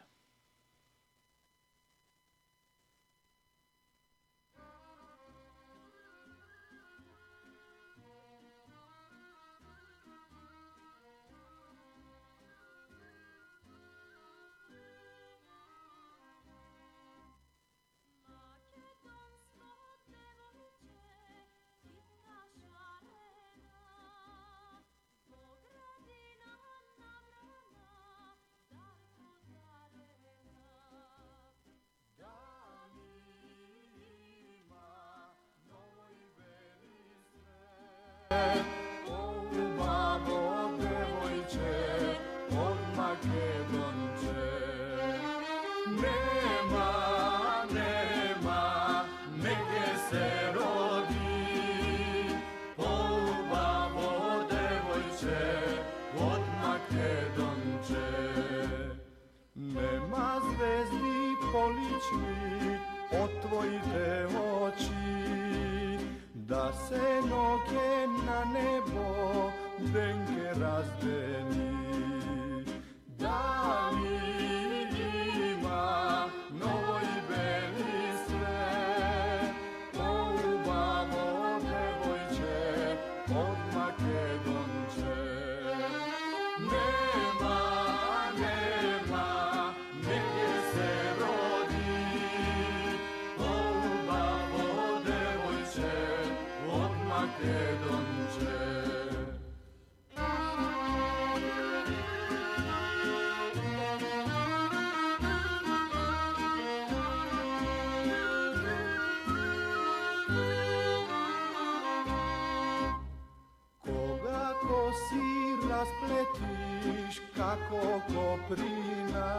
Raspletiš kako koprina,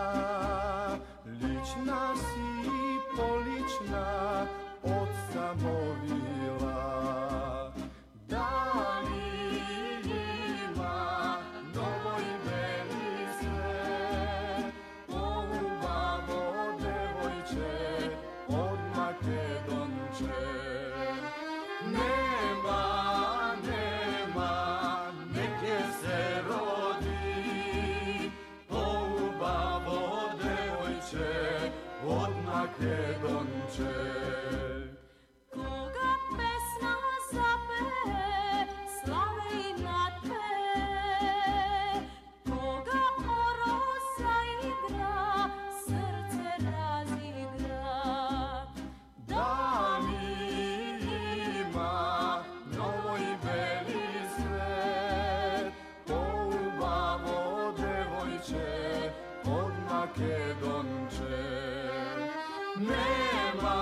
lična si polična od samovila. Da li ima novo ime li sve, polubavo devojče od Makedonče. Makedonče. Koga pesma zape, slave I natpe, koga orosa igra, srce razigra. Da li ima novo I beli svet, polubavo devojče od Makedonče. Nema,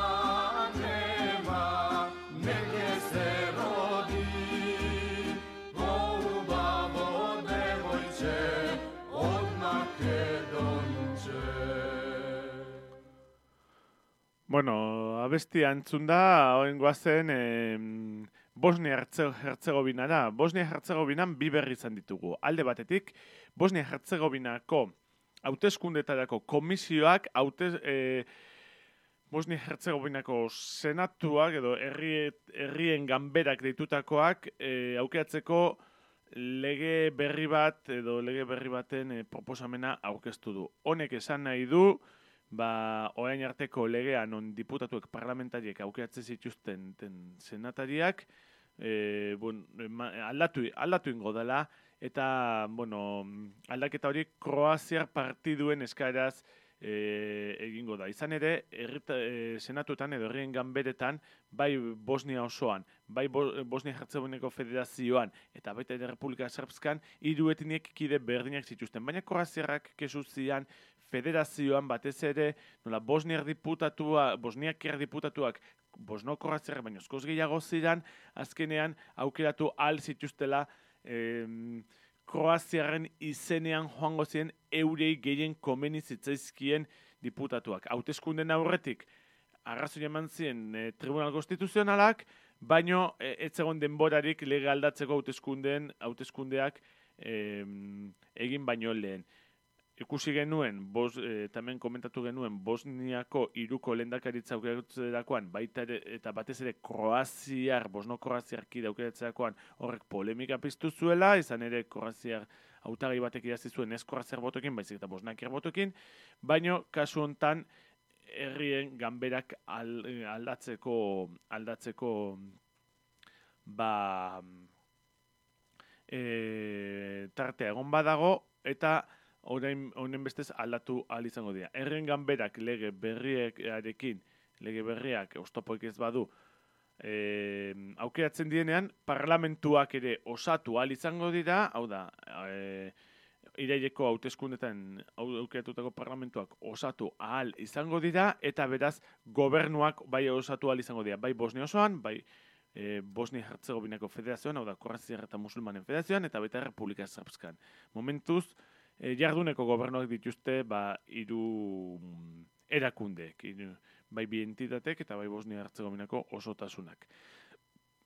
negdje se rodi, polubavo devojče od Makedonče. Bueno, abestia entzun da, oen guazen Bosnia-Herzegovinara. Bosnia-Herzegovinan bi berri izan ditugu. Alde batetik, Bosnia-Herzegovinako hauteskundetarako komisioak Bosnia-Herzegovinako senatuak edo herrien ganberak deitutakoak aukeratzeko lege berri bat edo lege berri baten proposamena aurkeztu du. Honek esan nahi du, orain arteko legea non diputatuek parlamentariek aukeratzen zituzten senatariak aldatu ingo dela, eta aldaketa hori Kroaziar partiduen eskaeraz egingo da. Izan ere, senatuetan edo herrien ganberetan, bai Bosnia osoan, bai Bosnia-Herzegovinako federazioan, eta baita ere Republika Srpskan, hiru etniek kide berdinak zituzten. Baina Kroaziarrak kesu zian federazioan batez ere, nola bosniak diputatuak bosno-kroaziarrak baino askoz gehiago ziren, azkenean aukeratu ahal zituztela Kroaziarren izenean joango ziren eurei gehien komeni zitzaizkien diputatuak. Hauteskunden aurretik arrazoi eman ziren Tribunal Konstituzionalak, baino ez zegoen denborarik lege aldatzeko hauteskundeak egin baino lehen. Ikusi genuen, tamen komentatu genuen, Bosniako hiruko lehendakaritza aukeratzerakoan, baita eta batez ere Kroaziar, Bosno-Kroaziar kide aukeratzerakoan horrek polemika piztu zuela, izan ere Kroaziar hautagai batek idazi zuen ez Kroaziar botokin, baizik eta Bosnakiar botokin, baino kasu hontan herrien ganberak aldatzeko tartea egon badago, eta honen bestez aldatu ahal izango dira. Herrien ganberak lege berriak oztopoik ez badu aukeratzen dienean, parlamentuak ere osatu ahal izango dira, hau da, iraileko hauteskundetan aukeratutako parlamentuak osatu ahal izango dira, eta beraz gobernuak bai osatu ahal izango dira, bai Bosnia osoan, bai Bosnia-Herzegovinako federazioan, hau da, Kroaziar eta Musulmanen federazioan, eta baita Republika Srpskan. Momentuz, jarduneko gobernuak dituzte hiru erakundeek, bai bi entitatek eta bai Bosnia-Herzegovinako osotasunak.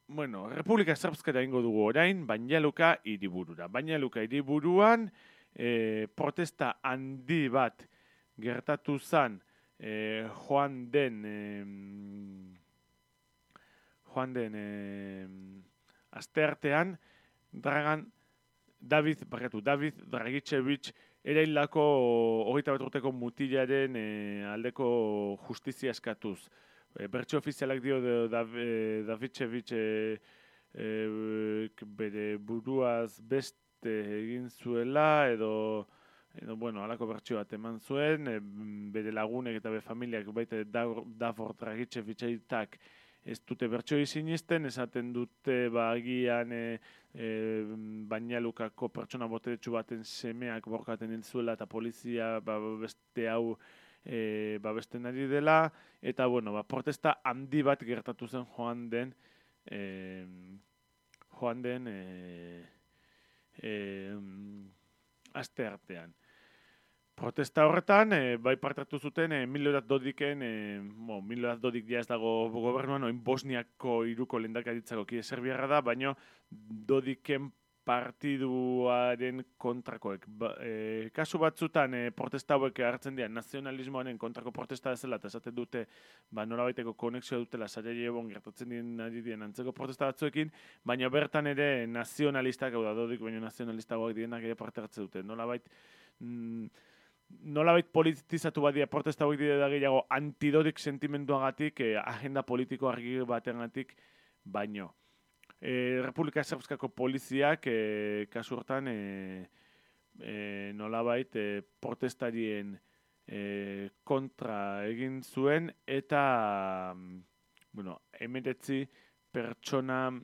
Bueno, Republika Srpskara ingo dugu orain, Banja Luka hiriburura. Banja Luka hiriburuan protesta handi bat gertatu zen joan den asteartean, David Dragicevic erailako 21 urteko mutilaren aldeko justizia eskatuz. Bertso ofizialak dio Davicevic bere buruaz egin zuela edo bueno, halako bertsio bat eman zuen, bere lagunek eta bere familiak baita Davor Dragicevic-aitak ez dute bertsio sinisten, esaten dute agian Bainalukako pertsona boteretsu baten semeak borkaten hil zuela eta polizia beste hau babesten ari dela, eta bueno, protesta handi bat gertatu zen joan den aste artean. Protesta horretan, bai parte hartu zuten Milorad Dodiken, Milorad Dodik ja ez dago gobernuan, oin Bosniako hiruko lehendakaritzako kide serbiarra da, baina Dodiken partiduaren kontrakoek. Kasu batzutan protesta hauek hartzen dira nazionalismoaren kontrako protesta dela eta esaten dute nolabaiteko konexioa dutela Sarajevoan gertatzen ari diren antzeko protesta batzuekin, baina bertan ere nazionalistak, hau da Dodik baina nazionalistagoak direnak ere parte hartzen dute. Nolabait politizatu badia protesta hauek dire da gehiago antidodik sentimenduagatik, agenda politiko argi batengatik baino. Republika Srpskako poliziak kasu hortan nolabait protestarien kontra egin zuen eta 19 pertsona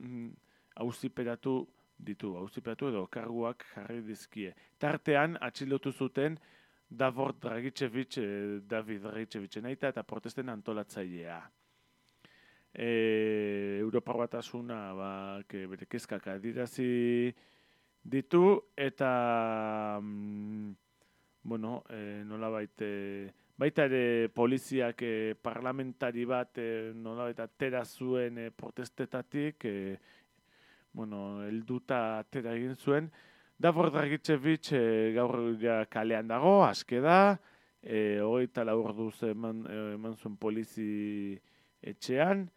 auziperatu edo karguak jarri dizkie. Tartean atxilotu zuten David Dragicevicen aita eta protesten antolatzailea. Europar Batasuna bere kezkak adirazi ditu eta nolabait baita ere poliziak parlamentari bat nolabait atera zuen protestetatik helduta atera egin zuen. Davor Dragicevic gaur kalean dago, aske da, 24 orduz eman zuen polizi etxean,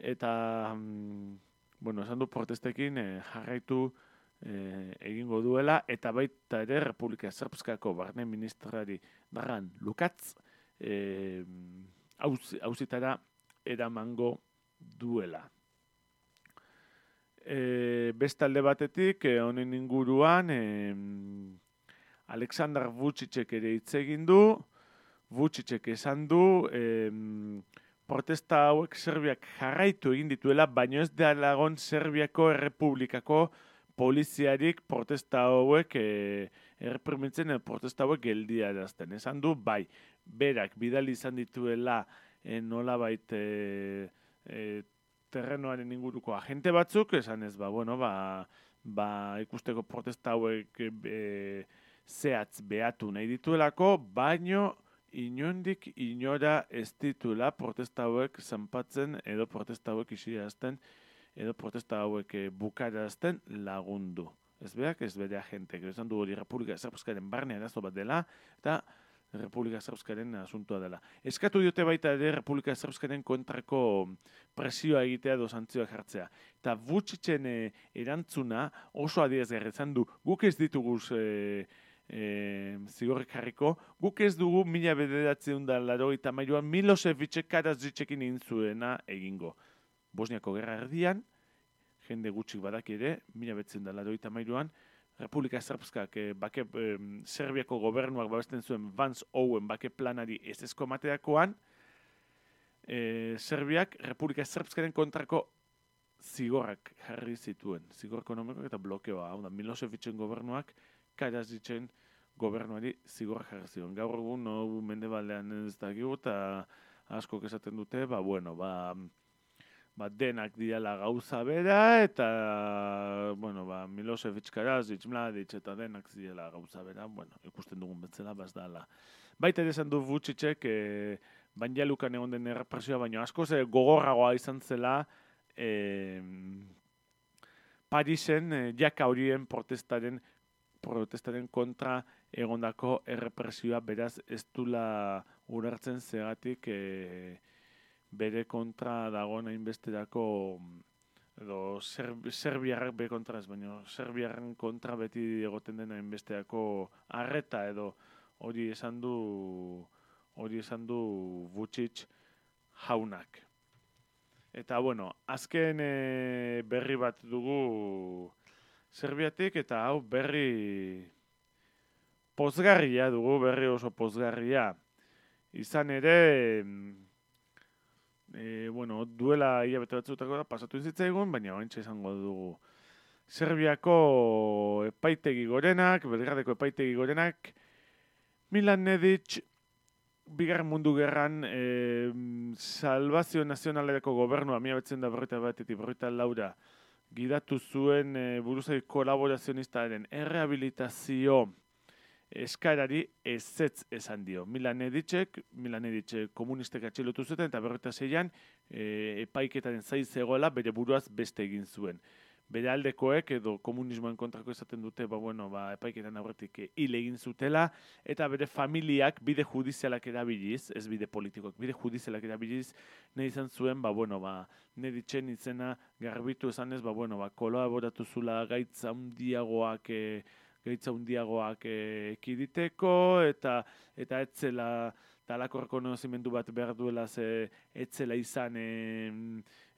eta esan du protestekin jarraitu egingo duela, eta baita ere Republika Srpskako barne ministrari Dragan Lukacs auzitara eramango duela. Bestalde batetik, honen inguruan, Aleksandar Vučićek ere hitz egin du. Vučićek esan du protesta hauek Serbiak jarraitu egin dituela, baino ez da lagon Serbiako Errepublikako poliziarik protesta hauek erreprimitzen protesta hauek geldiarazten. Esan du, bai, berak bidali izan dituela nolabait terrenoaren inguruko agente batzuk, esan ez, ikusteko protesta hauek zehatz behatu nahi dituelako, baino inondik inora ez dituela protesta hauek zanpatzen edo protesta hauek isirazten edo protesta hauek bukarazten lagundu. Ez berak, ez bere agentek. Esan du hori Republika Srpskaren barne arazo bat dela eta Republika Srpskaren asuntoa dela. Eskatu diote baita ere Republika Srpskaren kontrako presioa egitea edo santzioak jartzea. Eta Vučićen erantzuna oso adierazgarri izan du, guk ez ditugu zigorrik jarriko, guk ez dugu 1983an Milosevicek Karadzicekin egin zuena egingo. Bosniako gerra erdian, jende gutxik badak ere, 1983an Republika Srpskak Serbiako gobernuak babesten zuen Vance Owen bake planari ezezko emateakoan, Serbiak Republika Srpskaren kontrako zigorrak jarri zituen. Zigor ekonomikoak eta blokeoa. Hau da, Milosevicen gobernuak Karadzicen gobernuari zigorrak jarri zion. Gaur egun mendebaldean ez dakigu eta askok esaten dute, denak diala gauza bera eta Milosevic, Karadzic, Mladic eta denak diala gauza bera, ikusten dugun betzela bazdala. Baita ere esan du Vučićek Banjalukan egon den errepresioa, baina askoz gogorragoa izan zela Parisen jaka horien protestaren kontra egondako errepresioa, beraz ez dula ulertzen zegatik bere kontra dagoen hainbesterako edo Serbiarrak bere kontra ez, baina Serbiarren kontra beti egoten den hainbesterako arreta edo hori esan du Vučić jaunak. Eta azken berri bat dugu Serbiatik, eta hau berri pozgarria dugu, berri oso pozgarria. Izan ere, bueno, duela hilabete batzutako da pasatu zitzaigun, baina oraintxe izango dugu. Serbiako epaitegi gorenak, Belgradeko epaitegi gorenak, Milan Nedic, Bigarren Mundu Gerran, Salvazio Nazionalerako gobernua, 1941-1944 gidatu zuen buruzagi kolaborazionistaren errehabilitazio eskarari ezetz esan dio. Milan Nedic komunistek atxilotu zuten eta 1946an epaiketaren zai zegoela bere buruaz beste egin zuen. Bere aldekoek edo komunismoen kontrako esaten dute, epaiketan aurretik hil egin zutela, eta bere familiak bide judizialak erabiliz, ez bide politikoak, bide judizialak erabiliz, nahi izan zuen, Nedicen izena garbitu esanez, kolaboratu zula gaitza hundiagoak ekiditeko, eta etzela talako rekonozimendu bat behar duela etzela izan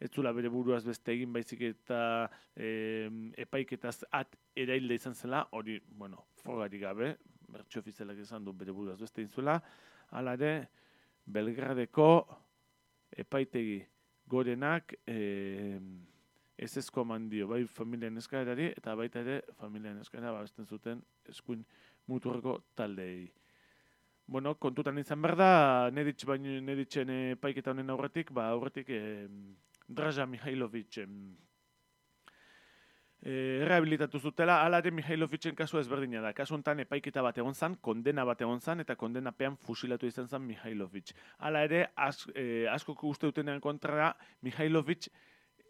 etzula bere buruaz beste egin baizik eta epaiketaz erailda izan zela, hori, frogari gabe, bertso ofizialak izan du bere buruaz beste egin zuela, hala ere, Belgradeko epaitegi gorenak ezezko eman dio, bai familien eskaerari, eta baita ere familien eskaera babesten zuten eskuin muturreko taldeei. Kontutan izan behar da, Nedicen epaiketa honen aurretik, Draža Mihailovic rehabilitatu zutela, hala ere Mihailovicen kasua ezberdina da. Kasu honetan epaiketa bat egon zan, kondena bat egon zan, eta kondenapean fusilatu izan zan Mihailovic. Hala ere, askok uste dutenean kontrara, Mihailovic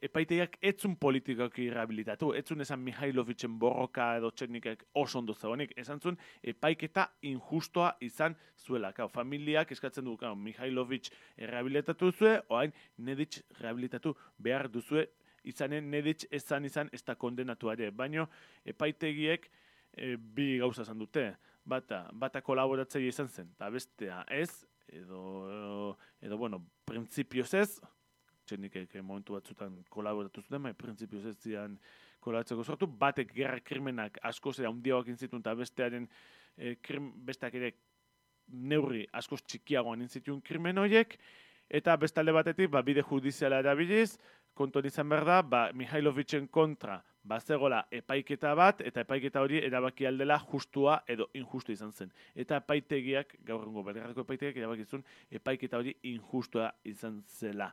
epaitegiak etzun politikoki rehabilitatu, etzun esan Mihailovicen borroka edo teknikak oso ondo zegoenik, esan zuen epaiketa injustoa izan zuela. Familiak eskatzen du, Mihailovic rehabilitatu zue, oain Nedic rehabilitatu behar duzue, izanen Nedic izan ez da kondenatuare, baino epaitegiek bi gauza esan dute, bata kolaboratzaile izan zen, eta bestea ez, edo printzipioz ez, txenikek momentu batzutan kolaboratu zuten, printzipioz ez zian kolaboratzeko sortu, batek gerra krimenak askoz handiagoak inzitun, eta besteak ere neurri askoz txikiagoan inzitun krimen horiek, eta bestalde batetik bide judiziala erabiliz, kontuan izan behar da, Mihailovicen kontra bazegola epaiketa bat, eta epaiketa hori erabaki aldela justua edo injustu izan zen. Eta epaitegiak, gaur egungo Belgradeko epaitegiak erabakizun epaiketa hori injustua izan zela.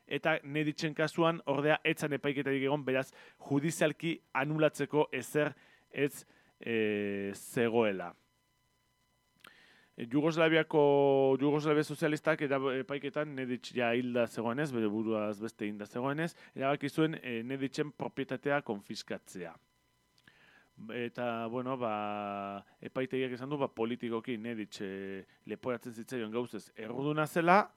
Eta Nedicen kasuan, ordea, etzan epaiketarik egon, beraz, judizialki anulatzeko ezer ez zegoela. Jugoslavia sozialistak epaiketan Nedic ja hilda zegoenez, bere buruaz beste hilda zegoenez, erabaki zuen Nedicen propietatea konfiskatzea. Eta, epaitegiak esan du, politikoki Nedic leporatzen zitzaion gauzez erruduna zela,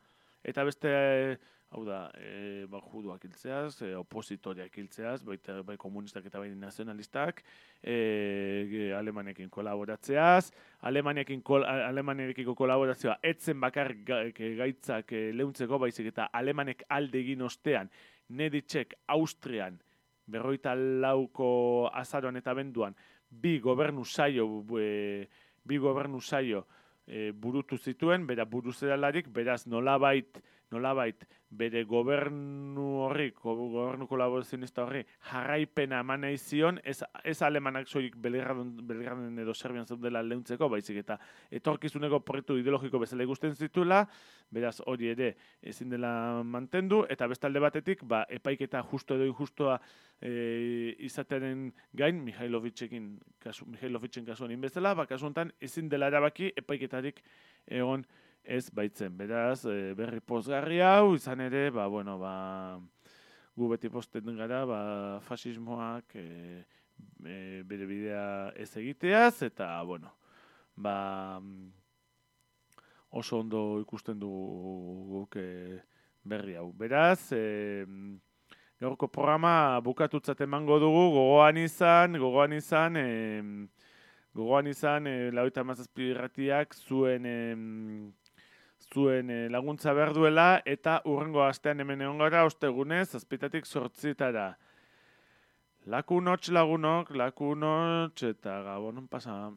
eta beste, juduak hiltzeaz, opositoriak hiltzeaz, bai komunistak eta bai nazionalistak, Alemanekin kolaboratzeaz, Alemaniakiko kolaborazioa etzen bakar gaitzak leuntzeko, baizik eta Alemanek alde egin ostean, Nedicek Austrian, 44ko azaroan eta abenduan, bi gobernu saio burutu zituen, bera buruzeralarik, beraz nolabait bere gobernu kolaborazionista horri jarraipena eman nahi zion, ez alemanak soilik Belgraden edo Serbian zeudela leuntzeko, baizik eta etorkizuneko proiektu ideologiko bezala ikusten zituela, beraz hori ere ezin dela mantendu, eta bestalde batetik, epaiketa justo edo injustua izatearen gain, Mihailovicen kasuan inbezala, kasu honetan ezin dela erabaki epaiketarik egon ez baitzen. Beraz, berri pozgarri hau, izan ere, gu beti posten gara, fasismoak bere bidea ez egiteaz, eta, oso ondo ikusten dugu berri hau. Beraz, gaurko programa bukatutzat emango dugu, gogoan izan, 97 irratiak zuen laguntza behar duela, eta urrengo astean hemen egon gara, ostegunez, 7:00 8:00. Lakunotx lagunok, lakunotx eta gabonon pasa.